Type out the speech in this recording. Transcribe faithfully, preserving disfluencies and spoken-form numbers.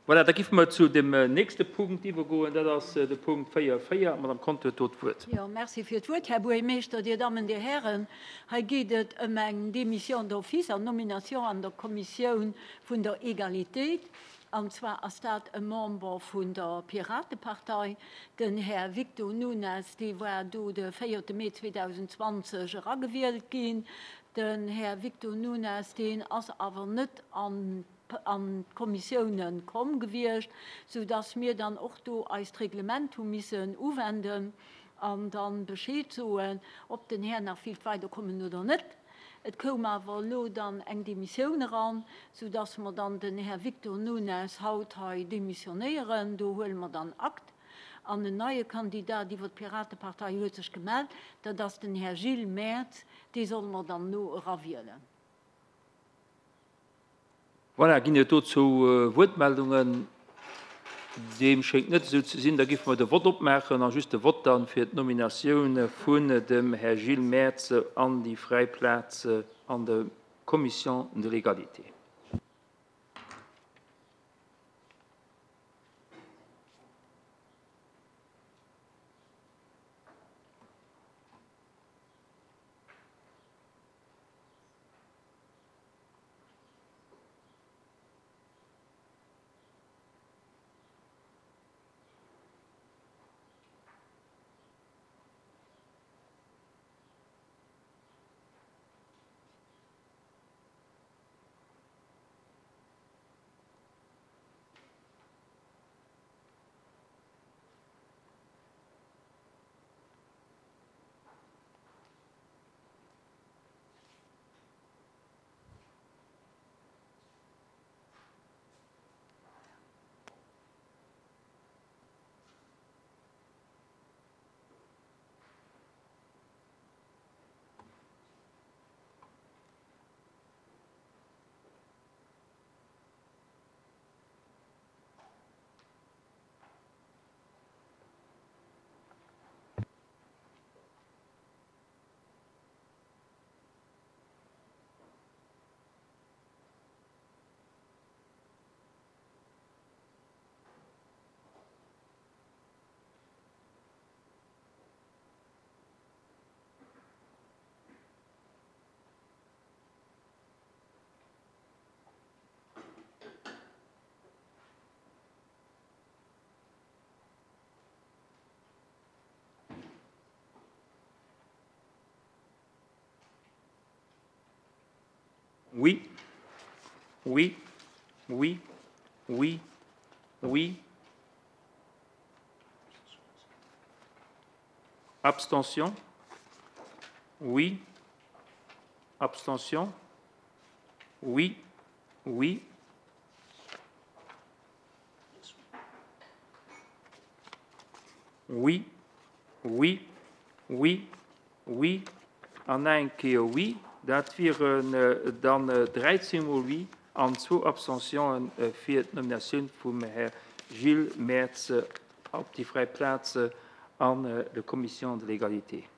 Voilà, da géife mer zu dem nächste Punkt iwwergoen, dat ass de Punkt véier véier. D'Madame Conter huet do d'Wuert. Jo, merci fir d'Wuert, Här Buergermeeschter, Dir Dammen, Dir Hären. Hei geet et ëm eng Démission d'office an Nomination an der Kommissioun vun der Egalitéit. An zwar ass dat e Member vun der Piratepartei, den Här Victor Nunes, dee war do de véierte Mee zweedausendzwanzeg eragewielt ginn. Den Här Victor Nunes, deen ass awer net an an d'Kommissiounen komm gewiescht, soudass mir dann och do eist Reglement hu missen uwenden an dann Bescheed soen, ob den Här nach willt weiderkommen oder net. Et koum awer elo dann eng Demissioun eran, soudass mer dann den Här Victor Nunes haut hei demissionéieren. Do huele mer dann Akt. An en neie Kandidat iwwer d'Piratepartei huet sech gemellt, dat ass den Här Gilles Mertz, dee solle mer dann no erawielen. Voilà, ginn et dozou Wuertmeldungen? Deem schéngt net esou ze sinn. Da géife mer de Vott opmaachen a just de Vott dann fir d'Nominatioun vun dem Här Gilles Mertz an déi fräi Plaz an der Commission de l'égalité. Oui, oui, oui, oui, oui. Abstention. Oui. Abstention. Oui, oui. Oui, oui, oui, oui. An eng Kéier oui. Dat wieren dann dräizéng mol oui an zwou Abstentionen fir d'Nominatioun vum Här Gilles Mertz op déi fräi Plaz an der Commission de l'égalité.